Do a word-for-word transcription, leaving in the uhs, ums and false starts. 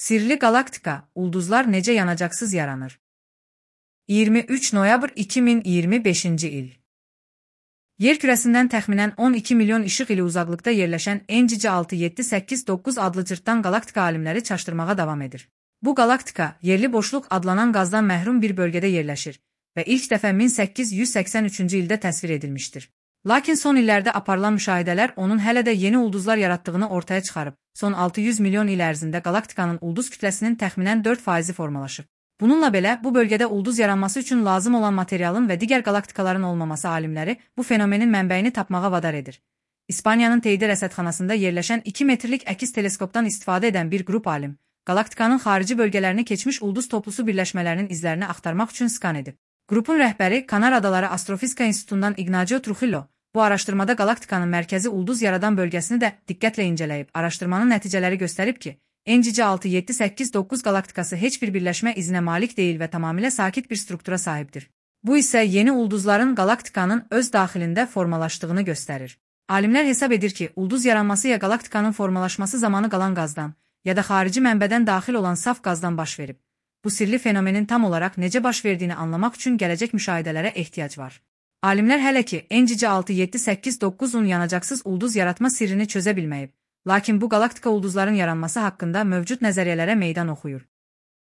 Sirli galaktika, ulduzlar necə yanacaksız yaranır? iyirmi üç noyabr iki min iyirmi beşinci il. Yer kürəsindən təxminən on iki milyon işıq ili uzaqlıqda yerləşən N G C altı yeddi səkkiz doqquz adlı cırtdan galaktika alimləri çaşdırmağa davam edir. Bu galaktika, yerli boşluq adlanan qazdan məhrum bir bölgədə yerləşir və ilk dəfə min səkkiz yüz səksən üçüncü ildə təsvir edilmişdir. Lakin son illərdə aparılan müşahidələr onun hələ də yeni ulduzlar yaratdığını ortaya çıxarıb. Son altı yüz milyon il ərzində galaktikanın ulduz kütləsinin təxminən dörd faizi formalaşıb. Bununla belə, bu bölgədə ulduz yaranması üçün lazım olan materialın və digər galaktikaların olmaması alimləri bu fenomenin mənbəyini tapmağa vadar edir. İspaniyanın Teide rəsədxanasında yerləşən iki metrlik əkiz teleskopdan istifadə edən bir qrup alim, galaktikanın xarici bölgələrini keçmiş ulduz toplusu birləşmələrinin izlərini axtarmaq üçün skan edib. Qrupun rəhbəri Kanar Adaları Astrofizika İnstitutundan Ignacio Trujillo, bu araşdırmada galaktikanın mərkəzi ulduz yaradan bölgəsini də diqqətlə incələyib. Araşdırmanın nəticələri göstərib ki, N G C altı yeddi səkkiz doqquz galaktikası heç bir birləşmə izinə malik deyil və tamamilə sakit bir struktura sahibdir. Bu isə yeni ulduzların galaktikanın öz daxilində formalaşdığını göstərir. Alimlər hesab edir ki, ulduz yaranması ya galaktikanın formalaşması zamanı qalan qazdan, ya da xarici mənbədən daxil olan saf qazdan baş verib. Bu sirli fenomenin tam olaraq necə baş verdiyini anlamaq üçün gələcək müşahidələrə ehtiyac var. Alimlər hələ ki N G C altı yeddi səkkiz doqquzun yanacaksız ulduz yaratma sirrini çözə bilməyib. Lakin bu galaktika ulduzların yaranması haqqında mövcud nəzəriyyələrə meydan oxuyur.